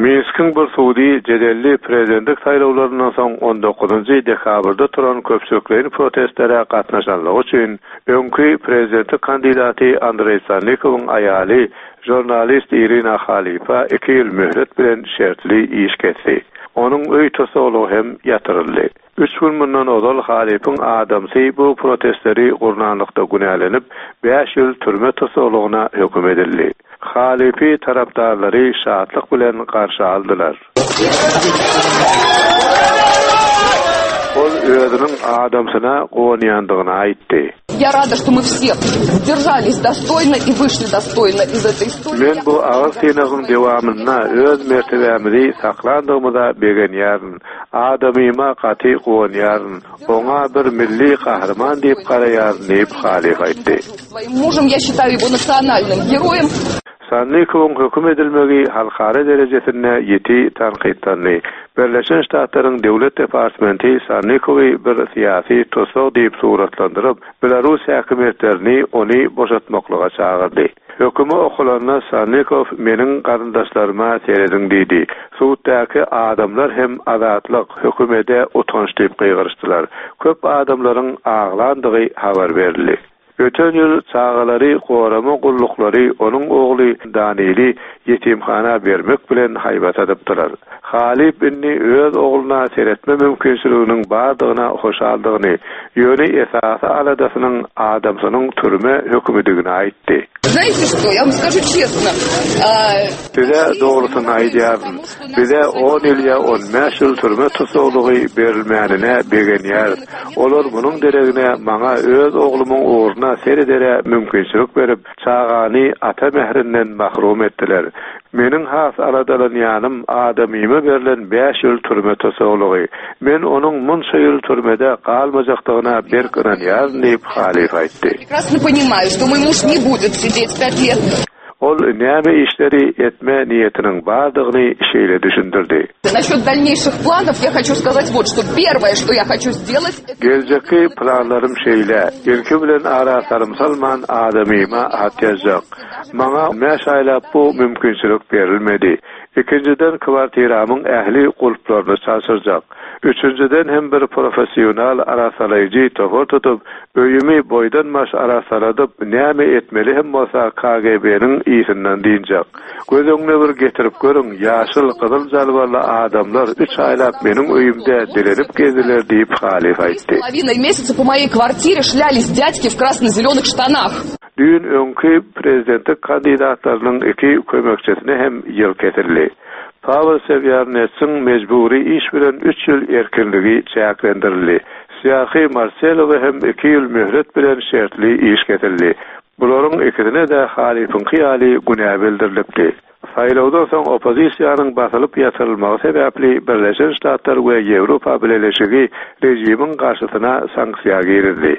Minskiň bir sudy jedelli prezidentlik saýlawlaryndan soň on dokuzynjy dekabrda turan köpçülikleýin protestlere gatnaşanlygy üçin öňki prezidentlik kandidaty Andreý Sannikowyň aýaly, žurnalist Irina Halipa iki ýyl möhlet bilen şertli iş kesdi. Onuň öý tussaglygy hem ýatyryldy. Üç gün mundan ozal Halypyň adamsy bu protestleri gurnanlykda günälenip, bäş ýyl türme tussaglygyna höküm edildi. Halypy tarapdarlary şatlyk bilen garşy aldylar. Ol özüniň adamsyna guwanýandygyny aýtdy. Ýa rada, şto my wse sderžalis dostoýno i wyşli dostoýno iz etoý istoriýi. Men bu agyr synagyň dowamynda öz mertebämizi saklandygymyza begenýärin. Adamyma gaty guwanýaryn. Oňa bir milli gahryman diýip garaýaryn diýip, Halyf aýtdy. Sannikowyň höküm edilmegi halkara derejesinde ýiti tankytlandy. Birleşen Ştatlaryň Döwlet departmenti Sannikowy bir syýasy tussag diýip suratlandyryp, belarus häkimiýetlerini ony boşatmaklyga çagyrdy. Hökümi okalanda Sannikow meniň garyndaşlaryma serediň diýdi. Suddaky adamlar hem azatlyk, hökümede utanç diýip gygyryşdylar. Köp adamlaryň aglandygy habar berildi. Öten ýyl çagalary gorama gulluklary onuň ogly Danili ýetimhana bermek bilen haýbat atypdylar. Halyp indi öz ogluna seretme mümkinçiliginiň bardygyna hoşaldygyny, ýöne esasy aladasynyň adamsynyň türme hökümidigini aýtdy. Znaýte şto, ýa wam skažu çestno. Size dogrusyny aýdýaryn, bize on ýyl ýa on bäş ýyl türme tussaglygy berilmänine begenýäris. Olar munuň deregine maňa öz oglumyň ugruna seredere mümkinçilik berip, çagany ata mährinden mahrum etdiler. Meniň has aladalanýanym adamyma berlen bäş ýyl türme tussaglygy. Men onuň munça ýyl türmede galmajakdygyna berk ynanýaryn diýip, Halyf aýtdy. Ol näme işleri etme niýetiniň bardygyny şeýle düşündirdi. Geljekki planlarym şeýle, ilki bilen ara salym salman adamyma hat ýazjak. Maňa bäş aýlap bu mümkinçilik berilmedi. Ikinjiden kwartiramyň ähli gulplaryny çalşyrjak. Üçünjiden hem bir professional arassalaýjy topar tutup, öýümi boýdan-baş arassaladyp, näme etmeli hem bolsa KGB-niň yzyndan dynjak. Göz öňüne bir getirip görüň, ýaşyl, gyzyl jalbarly adamlar üç aýlap meniň öýümde dilenip gezdiler diýip, Halyf aýtdy. Düýn öňki prezidentlik kandidatlarynyň iki kömekçisine hem ýyl kesildi. Pawel Sewýarnetsiň mejbury iş bilen üç ýyl erkinligi çäklendirildi. Sýarhiý Marselowa hem iki ýyl möhlet bilen şertli iş kesildi. Bularyň ikisine-de Halypyňky ýaly günä bildirilipdi. Saýlawdan soň oppozisiýanyň basylyp ýatyrylmagy sebäpli Birleşen Ştatlar we Ýewropa Bileleşigi režimiň garşysyna sanksiýa girizdi.